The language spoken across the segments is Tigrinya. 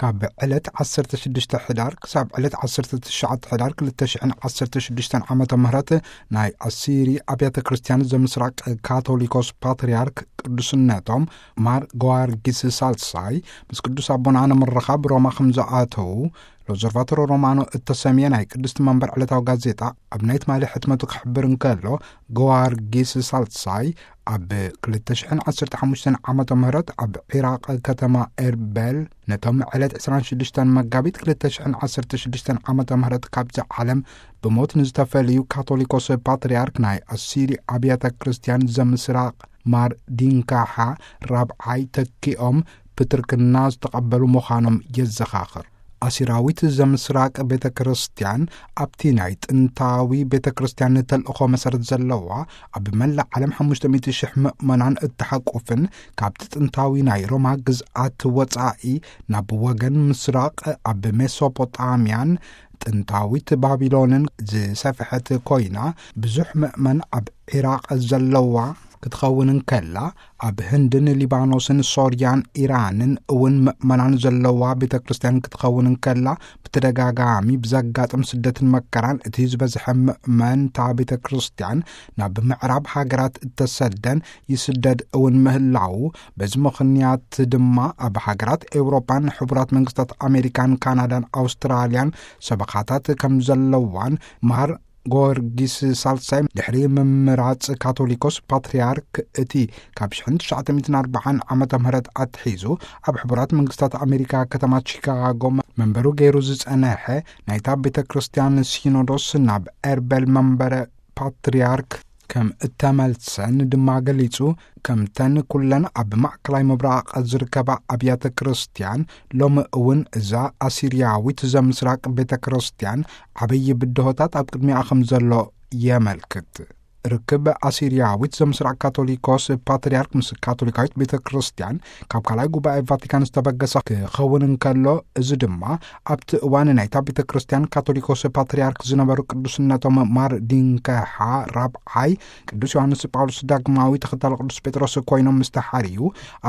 ካብ ዕለት ዓሰርተ ሽዱሽተ ሕዳር ክሳብ ዕለት ዓሰርተ ትሽዓተ ሕዳር ክልተ ሽሕን ዓሰርተ ሽዱሽተን ዓመተ ምህረት ናይ ኣሲሪ ኣብያተ ክርስቲያን ዘምስራቅ ካቶሊኮስ ፓትርያርክ ቅዱስነቶም ማር ገዋርጊስ ሳልሳይ ምስ ቅዱስ ኣቦና ንምርኻብ ሮማ ከም ዝኣተዉ ሎዘርቫቶሮ ሮማኖ እተሰምየ ናይ ቅድስቲ መንበር ዕለታዊ ጋዜጣ ኣብ ናይ ትማሊ ሕትመቱ ክሕብር እንከሎ፣ ገዋርጊስ ሳልሳይ ኣብ ክልተ ሽሕን ዓሰርተ ሓሙሽተን ዓመተ ምህረት ኣብ ዒራቕ ከተማ ኤርበል ነቶም ዕለት ዕስራን ሽዱሽተን መጋቢት ክልተ ሽሕን ዓሰርተ ሽዱሽተን ዓመተ ምህረት ካብዚ ዓለም ብሞት ንዝተፈልዩ ካቶሊኮስ ፓትርያርክ ናይ ኣሲሪ ኣብያተ ክርስቲያን ዘምስራቕ ማር ዲንካሓ ራብዓይ ተኪኦም ብትርክና ዝተቐበሉ ምዃኖም የዘኻኽር። ኣሲራዊት ዘምስራቅ ቤተ ክርስቲያን ኣብቲ ናይ ጥንታዊ ቤተ ክርስቲያን ተልእኾ መሰረት ዘለዋ፣ ኣብ መላእ ዓለም ሓሙሽተ ሚእቲ ሽሕ ምእመናን እተሓቁፍን ካብቲ ጥንታዊ ናይ ሮማ ግዝኣት ወጻኢ ናብ ወገን ምስራቕ ኣብ ሜሶፖጣምያን ጥንታዊት ባቢሎንን ዝሰፍሐት ኮይና፣ ብዙሕ ምእመን ኣብ ዒራቕ ዘለዋ ክትኸውን እንከላ፣ ኣብ ህንድን ሊባኖስን ሶርያን ኢራንን እውን ምእመናን ዘለዋ ቤተ ክርስቲያን ክትኸውን እንከላ፣ ብተደጋጋሚ ብዘጋጥም ስደትን መከራን እቲ ዝበዝሐ ምእመን እታ ቤተ ክርስቲያን ናብ ምዕራብ ሃገራት እተሰደን ይስደድ እውን ምህላዉ፣ በዚ ምኽንያት ድማ ኣብ ሃገራት ኤውሮጳን ሕቡራት መንግስታት ኣሜሪካን ካናዳን ኣውስትራልያን ሰበኻታት ከም ዘለዋን ማር ጊዮርጊስ ሳልሳይ ድሕሪ ምምራጽ ካቶሊኮስ ፓትርያርክ እቲ ካብ ሽሕን ትሽዓተ ሚእትን ኣርባዓን ዓመተ ምህረት ኣትሒዙ ኣብ ሕቡራት መንግስታት ኣሜሪካ ከተማ ቺካጎ መንበሩ ገይሩ ዝጸነሐ ናይታ ቤተ ክርስቲያን ሲኖዶስ ናብ ኤርበል መንበረ ፓትርያርክ ከም እተመልሰን ድማ ገሊጹ፣ ከምተን ኩለን ኣብ ማእከላይ ምብራቕ ዝርከባ ኣብያተ ክርስቲያን ሎሚ እውን እዛ ኣሲርያዊት ዘምስራቅ ቤተ ክርስቲያን ዓብዪ ብድሆታት ኣብ ቅድሚኣ ከም ዘሎ የመልክት። ርክብ ኣሲርያዊት ዘምስራቅ ካቶሊኮስ ፓትርያርክ ምስ ካቶሊካዊት ቤተ ክርስቲያን ካብ ካልኣይ ጉባኤ ቫቲካን ዝተበገሰ ክኸውን እንከሎ፣ እዚ ድማ ኣብቲ እዋን ናይታ ቤተ ክርስቲያን ካቶሊኮስ ፓትርያርክ ዝነበሩ ቅዱስነቶም ማር ዲንከሓ ራብዓይ ቅዱስ ዮሃንስ ጳውሎስ ዳግማዊ ተኸታሊ ቅዱስ ጴጥሮስ ኮይኖም ምስ ተሓርዩ፣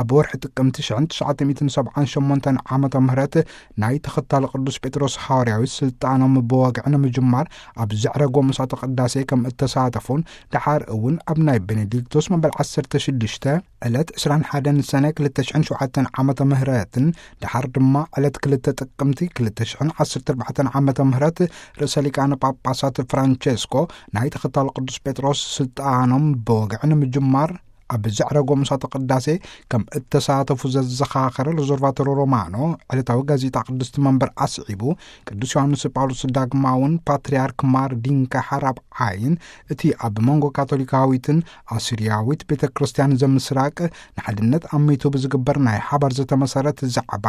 ኣብ ወርሒ ጥቅምቲ ሽሕን ትሽዓተ ሚእትን ሰብዓን ሸሞንተን ዓመተ ምህረት ናይ ተኸታሊ ቅዱስ ጴጥሮስ ሃዋርያዊ ስልጣኖም ብወግዒ ንምጅማር ኣብ ዘዕረጎ ምሳተ ቅዳሴ ከም እተሳተፉን፣ ደሓር እውን ኣብ ናይ ቤኔዲክቶስ መበል ዓሰርተ ሽዱሽተ ዕለት ዕስራን ሓደን ሰነ ክልተ ሽሕን ሸውዓተን ዓመተ ምህረትን፣ ደሓር ድማ ዕለት ክልተ ጥቅምቲ ክልተ ሽሕን ዓሰርተ ኣርባዕተን ዓመተ ምህረት ርእሰ ሊቃነ ጳጳሳት ፍራንቸስኮ ናይ ተኸታሊ ቅዱስ ጴጥሮስ ስልጣኖም ብወግዒ ንምጅማር ኣብ ዘዕረጎ ምሳተ ቅዳሴ ከም እተሳተፉ ዘዘኻኸረ ሎዞርቫቶሮ ሮማኖ፣ ዕለታዊ ጋዜጣ ቅድስቲ መንበር ኣስዒቡ፣ ቅዱስ ዮሃንስ ጳውሎስ ዳግማውን ፓትርያርክ ማር ዲንካ ሓራብ ዓይን እቲ ኣብ መንጎ ካቶሊካዊትን ኣሲርያዊት ቤተ ክርስቲያን ዘምስራቅ ንሓድነት ኣሚቱ ብዝግበር ናይ ሓባር ዝተመሰረት ዛዕባ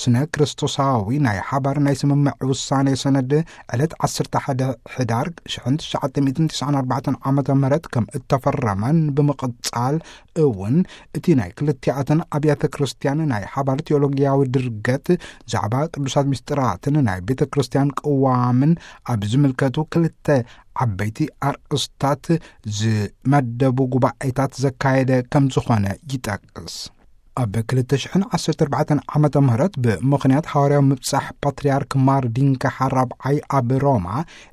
ስነ ክርስቶሳዊ ናይ ሓባር ናይ ስምምዕ ውሳኔ ሰነድ ዕለት ዓሰርተ ሓደ ሕዳር ሽሕን ትሽዓተ ሚእትን ትስዓን ኣርባዕተን ዓመተ ምህረት ከም እተፈረመን ብምቕጻል እውን እቲ ናይ ክልቲኣተን ኣብያተ ክርስቲያን ናይ ሓባር ቴዎሎጊያዊ ድርገት ዛዕባ ቅዱሳት ምስጢራትን ናይ ቤተ ክርስቲያን ቅዋምን ኣብ ዝምልከቱ ክልተ ዓበይቲ ኣርእስታት ዝመደቡ ጉባኤታት ዘካየደ ከም ዝኾነ ይጠቅስ። ኣብ ክልተ ሽሕን ዓሰርተ ኣርባዕተን ዓመተ ምህረት ብምኽንያት ሃዋርያዊ ምብጻሕ ፓትርያርክ ማር ዲንካ ሓራብዓይ ኣብ ሮማ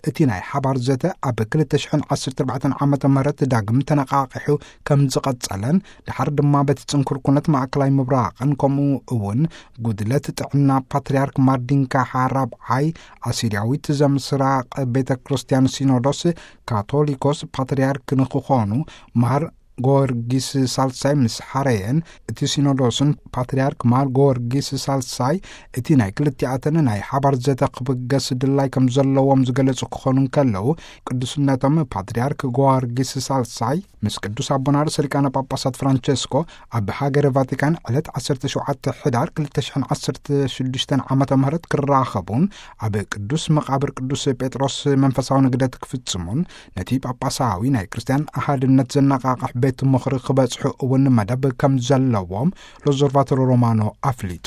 እቲ ናይ ሓባር ዘተ ኣብ ክልተ ሽሕን ዓሰርተ ኣርባዕተን ዓመተ ምህረት ዳግም ተነቓቒሑ ከም ዝቐጸለን፣ ደሓር ድማ በቲ ጽንኩር ኩነት ማእከላይ ምብራቕን ከምኡ እውን ጉድለት ጥዕና ፓትርያርክ ማር ዲንካ ሓራብዓይ ኣሲርያዊት ዘምስራቕ ቤተ ክርስቲያን ሲኖዶስ ካቶሊኮስ ፓትርያርክ ንክኾኑ ማር ጊዮርጊስ ሳልሳይ ምስ ሓረየን፣ እቲ ሲኖዶስን ፓትርያርክ ማር ጊዮርጊስ ሳልሳይ እቲ ናይ ክልቲኣተን ናይ ሓባር ዘተ ክብገስ ድላይ ከም ዘለዎም ዝገለጹ ክኾኑ እንከለዉ፣ ቅዱስነቶም ፓትርያርክ ጊዮርጊስ ሳልሳይ ምስ ቅዱስ ኣቦና ርእሰ ሊቃነ ጳጳሳት ፍራንቸስኮ ኣብ ሃገረ ቫቲካን ዕለት ዓሰርተ ሸውዓተ ሕዳር ክልተ ሽሕን ዓሰርተ ሽዱሽተን ዓመተ ምህረት ክራኸቡን ኣብ ቅዱስ መቓብር ቅዱስ ጴጥሮስ መንፈሳዊ ንግደት ክፍጽሙን፣ ነቲ ጳጳሳዊ ናይ ክርስትያን ኣሃድነት ዘነቓቕሕ ቤት ምኽሪ ክበጽሑ እውን መደብ ከም ዘለዎም ሎዞርቫቶሮ ሮማኖ ኣፍሊጡ።